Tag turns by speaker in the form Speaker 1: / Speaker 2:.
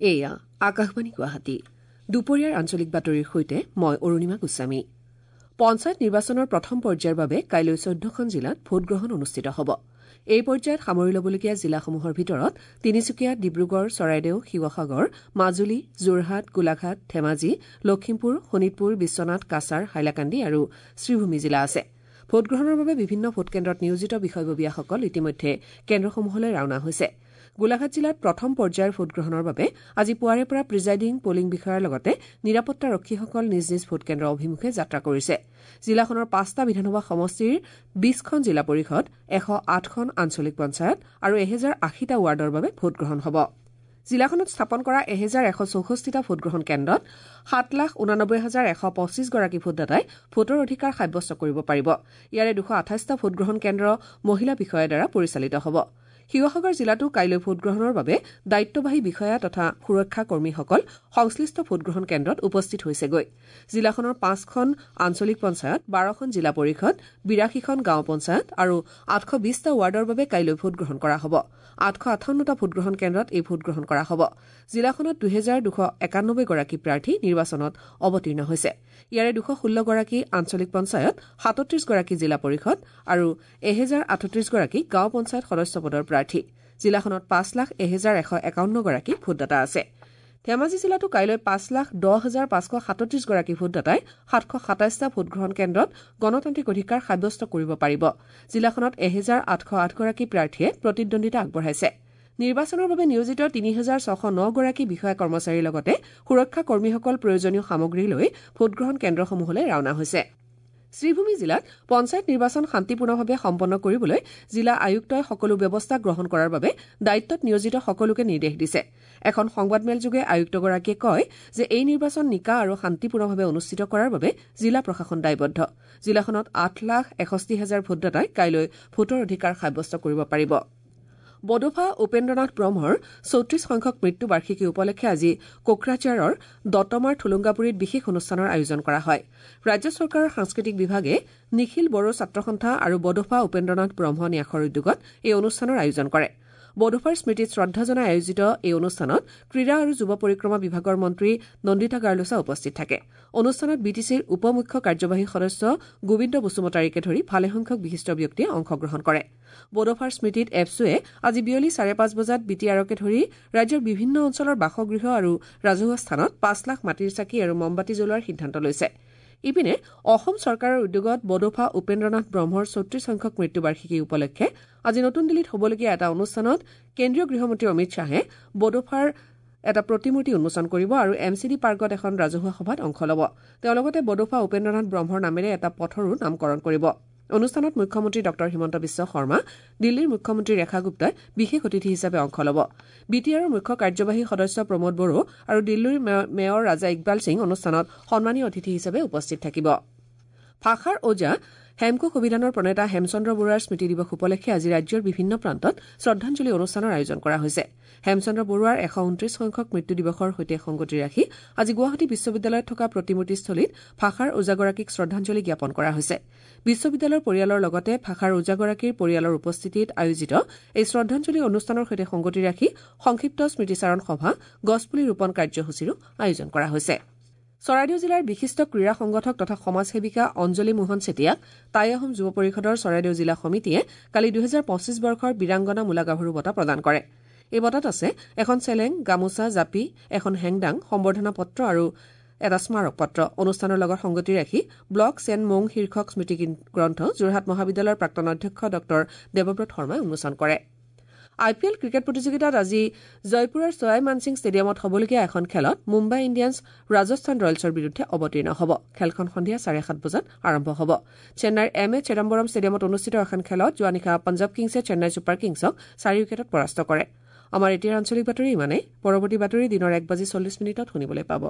Speaker 1: এয়া আকাশবাণী গুৱাহাটী। দুপৰীয়াৰ আঞ্চলিক বাতৰিৰ সৈতে মই অৰুণিমা গোস্বামী। পঞ্চায়ত নিৰ্বাচনৰ প্ৰথম পৰ্যায়ৰ বাবে কাইলৈ ১৪খন জিলাত ভোটগ্ৰহণ অনুষ্ঠিত হ'ব। এই পৰ্যায়ত সামৰি ল'বলগীয়া জিলাসমূহৰ ভিতৰত তিনিচুকীয়া, ডিব্ৰুগড়, চৰাইদেউ, শিৱসাগৰ, মাজুলী, যোৰহাট, গোলাঘাট, ধেমাজি, লখিমপুৰ, শোণিতপুৰ, বিশ্বনাথ, কাছাৰ, হাইলাকান্দি আৰু শ্ৰীভূমি জিলা আছে। ভোটগ্ৰহণৰ বাবে বিভিন্ন ভোটকেন্দ্ৰত নিয়োজিত বিষয়ববীয়াসকল ইতিমধ্যে কেন্দ্ৰসমূহলৈ ৰাওনা হৈছে। গোলাঘাট জিলাত প্ৰথম পৰ্যায়ৰ ভোটগ্ৰহণৰ বাবে আজি পুৱাৰে পৰা প্ৰিজাইডিং, পলিং বিষয়াৰ লগতে নিৰাপত্তাৰক্ষীসকল নিজ নিজ ভোটকেন্দ্ৰ অভিমুখে যাত্ৰা কৰিছে। জিলাখনৰ ৫টা বিধানসভা সমষ্টিৰ ২০খন জিলা পৰিষদ, ১০৮খন আঞ্চলিক পঞ্চায়ত আৰু ১০৮০টা ৱাৰ্ডৰ বাবে ভোটগ্ৰহণ হ'ব। জিলাখনত স্থাপন কৰা ১১৬৪টা ভোটগ্ৰহণ কেন্দ্ৰত ৭,৮৯,১২৫ গৰাকী ভোটদাতাই ভোটৰ অধিকাৰ সাব্যস্ত কৰিব পাৰিব। ইয়াৰে ২২৮টা ভোটগ্ৰহণ কেন্দ্ৰ মহিলা বিষয়াৰ দ্বাৰা পৰিচালিত হ'ব। শিৱসাগৰ জিলাতো কাইলৈ ভোটগ্ৰহণৰ বাবে দায়িত্ববাহী বিষয়া তথা সুৰক্ষা কৰ্মীসকল সংশ্লিষ্ট ভোটগ্ৰহণ কেন্দ্ৰত উপস্থিত হৈছেগৈ। জিলাখনৰ ৫খন আঞ্চলিক পঞ্চায়ত, ১২খন জিলা পৰিষদ, ৮২খন গাঁও পঞ্চায়ত আৰু ৮২০টা ৱাৰ্ডৰ বাবে কাইলৈ ভোটগ্ৰহণ কৰা হ'ব। ৮৫৮টা ভোটগ্ৰহণ কেন্দ্ৰত এই ভোটগ্ৰহণ কৰা হ'ব। জিলাখনত ২২৯১ গৰাকী প্ৰাৰ্থী নিৰ্বাচনত অৱতীৰ্ণ হৈছে। ইয়াৰে ২১৬ গৰাকী আঞ্চলিক পঞ্চায়ত, ৩৭ গৰাকী জিলা পৰিষদ আৰু ১০৩৮ গৰাকী গাঁও পঞ্চায়ত সদস্য পদৰ প্ৰাৰ্থী। জিলাখনত ৫,০১,১৫১ গৰাকী ভোটদাতা আছে। ধেমাজি জিলাতো কাইলৈ ৫,১০,৫৩৭ গৰাকী ভোটদাতাই ৭২৭টা ভোটগ্ৰহণ কেন্দ্ৰত গণতান্ত্ৰিক অধিকাৰ সাব্যস্ত কৰিব পাৰিব। জিলাখনত ১৮০৮ গৰাকী প্ৰাৰ্থীয়ে প্ৰতিদ্বন্দ্বিতা আগবঢ়াইছে। নিৰ্বাচনৰ বাবে নিয়োজিত ৩৬০৯ গৰাকী বিষয়া কৰ্মচাৰীৰ লগতে সুৰক্ষা কৰ্মীসকল প্ৰয়োজনীয় সামগ্ৰী লৈ ভোটগ্ৰহণ কেন্দ্ৰসমূহলৈ ৰাওনা হৈছে। শ্ৰীভূমি জিলাত পঞ্চায়ত নিৰ্বাচন শান্তিপূৰ্ণভাৱে সম্পন্ন কৰিবলৈ জিলা আয়ুক্তই সকলো ব্যৱস্থা গ্ৰহণ কৰাৰ বাবে দায়িত্বত নিয়োজিত সকলোকে নিৰ্দেশ দিছে। এখন সংবাদমেলযোগে আয়ুক্তগৰাকীয়ে কয় যে এই নিৰ্বাচন নিকা আৰু শান্তিপূৰ্ণভাৱে অনুষ্ঠিত কৰাৰ বাবে জিলা প্ৰশাসন দায়বদ্ধ। জিলাখনত ৮,৬১,০০০ ভোটদাতাই কাইলৈ ভোটৰ অধিকাৰ সাব্যস্ত কৰিব পাৰিব। বডোফা উপেন্দ্ৰনাথ ব্ৰহ্মৰ ৩৪ সংখ্যক মৃত্যু বাৰ্ষিকী উপলক্ষে আজি কোকৰাঝাৰৰ দতমাৰ থুলুংগাপুৰীত বিশেষ অনুষ্ঠানৰ আয়োজন কৰা হয়। ৰাজ্য চৰকাৰৰ সাংস্কৃতিক বিভাগে নিখিল বড়ো ছাত্ৰ সন্থা আৰু বডোফা উপেন্দ্ৰনাথ ব্ৰহ্ম ন্যাসৰ উদ্যোগত এই অনুষ্ঠানৰ আয়োজন কৰে। বডোফাৰ স্মৃতিত শ্ৰদ্ধা জনাই আয়োজিত এই অনুষ্ঠানত ক্ৰীড়া আৰু যুৱ পৰিক্ৰমা বিভাগৰ মন্ত্ৰী নন্দিতা গাৰ্লোচা উপস্থিত থাকে। অনুষ্ঠানত বি টি চিৰ উপ মুখ্য কাৰ্যবাহী সদস্য গোবিন্দ বসুমতাৰীকে ধৰি ভালেসংখ্যক বিশিষ্ট ব্যক্তিয়ে অংশগ্ৰহণ কৰে। বডোফাৰ স্মৃতিত এপছুৱে আজি বিয়লি ৫:৩০ বজাত বি টি আৰকে ধৰি ৰাজ্যৰ বিভিন্ন অঞ্চলৰ বাসগৃহ আৰু ৰাজহুৱা স্থানত ৫ লাখ মাটিৰ চাকি আৰু মমবাতি জ্বলোৱাৰ সিদ্ধান্ত লৈছে। ইপিনে অসম চৰকাৰৰ উদ্যোগত বডোফা উপেন্দ্ৰনাথ ব্ৰহ্মৰ ৩৪ সংখ্যক মৃত্যুবাৰ্ষিকী উপলক্ষে আজি নতুন দিল্লীত হ'বলগীয়া এটা অনুষ্ঠানত কেন্দ্ৰীয় গৃহমন্ত্ৰী অমিত শ্বাহে বডোফাৰ এটা প্ৰতিমূৰ্তি উন্মোচন কৰিব আৰু এম চি ডি পাৰ্কত এখন ৰাজহুৱা সভাত অংশ ল'ব। তেওঁ লগতে বডোফা উপেন্দ্ৰনাথ ব্ৰহ্মৰ নামেৰে এটা পথৰো নামকৰণ কৰিব। অনুষ্ঠানত মুখ্যমন্ত্ৰী ডঃ হিমন্ত বিশ্ব শৰ্মা, দিল্লীৰ মুখ্যমন্ত্ৰী ৰেখা গুপ্তাই বিশেষ অতিথি হিচাপে অংশ ল'ব। বি টি আৰৰ মুখ্য কাৰ্যবাহী সদস্য প্ৰমোদ বড়ো আৰু দিল্লীৰ মেয়ৰ ৰাজা ইকবাল সিং অনুষ্ঠানত সন্মানীয় অতিথি হিচাপে উপস্থিত থাকিব। ভাষাৰ ওজা হেমকোষ অভিধানৰ প্ৰণেতা হেমচন্দ্ৰ বৰুৱাৰ স্মৃতি দিৱস উপলক্ষে আজি ৰাজ্যৰ বিভিন্ন প্ৰান্তত শ্ৰদ্ধাঞ্জলি অনুষ্ঠানৰ আয়োজন কৰা হৈছে। হেমচন্দ্ৰ বৰুৱাৰ ১২৯ সংখ্যক মৃত্যু দিৱসৰ সৈতে সংগতি ৰাখি আজি গুৱাহাটী বিশ্ববিদ্যালয়ত থকা প্ৰতিমূৰ্তিস্থলীত ভাষাৰ ওজাগৰাকীক শ্ৰদ্ধাঞ্জলি জ্ঞাপন কৰা হৈছে। বিশ্ববিদ্যালয়ৰ পৰিয়ালৰ লগতে ভাষাৰ ওজাগৰাকীৰ পৰিয়ালৰ উপস্থিতিত আয়োজিত এই শ্ৰদ্ধাঞ্জলি অনুষ্ঠানৰ সৈতে সংগতি ৰাখি সংক্ষিপ্ত স্মৃতিচাৰণ সভা, গছপুলি ৰোপণ কাৰ্যসূচীৰো আয়োজন কৰা হৈছে। চৰাইদেউ জিলাৰ বিশিষ্ট ক্ৰীড়া সংগঠক তথা সমাজসেৱিকা অঞ্জলি মোহন চেতিয়াক টাই আহোম যুৱ পৰিষদৰ চৰাইদেউ জিলা সমিতিয়ে কালি ২০২৫ বৰ্ষৰ বীৰাংগনা মূলাগাভৰু বঁটা প্ৰদান কৰে। এই বঁটাত আছে এখন চেলেং, গামোচা, জাপি, এখন হেংদাং, সম্বৰ্ধনা পত্ৰ আৰু এটা স্মাৰক পত্ৰ। অনুষ্ঠানৰ লগত সংগতি ৰাখি ব্লক চেন মং শীৰ্ষক স্মৃতি গ্ৰন্থ যোৰহাট মহাবিদ্যালয়ৰ প্ৰাক্তন অধ্যক্ষ ডঃ দেৱব্ৰত শৰ্মাই উন্মোচন কৰে। আই পি এল ক্ৰিকেট প্ৰতিযোগিতাত আজি জয়পুৰৰ ছয়াই মানসিং ষ্টেডিয়ামত হ'বলগীয়া এখন খেলত মুম্বাই ইণ্ডিয়ানছ ৰাজস্থান ৰয়েলছৰ বিৰুদ্ধে অৱতীৰ্ণ হ'ব। খেলখন সন্ধিয়া ৭:৩০ বজাত আৰম্ভ হ'ব। চেন্নাইৰ এম এ চিদাম্বৰম ষ্টেডিয়ামত অনুষ্ঠিত এখন খেলত যোৱা নিশা পঞ্জাৱ কিংছে চেন্নাই ছুপাৰ কিংছক ৪ উইকেটত পৰাস্ত কৰে। আমাৰ এতিয়াৰ আঞ্চলিক বাতৰি ইমানেই। পৰৱৰ্তী বাতৰি দিনৰ ১:৪০ শুনিবলৈ পাব।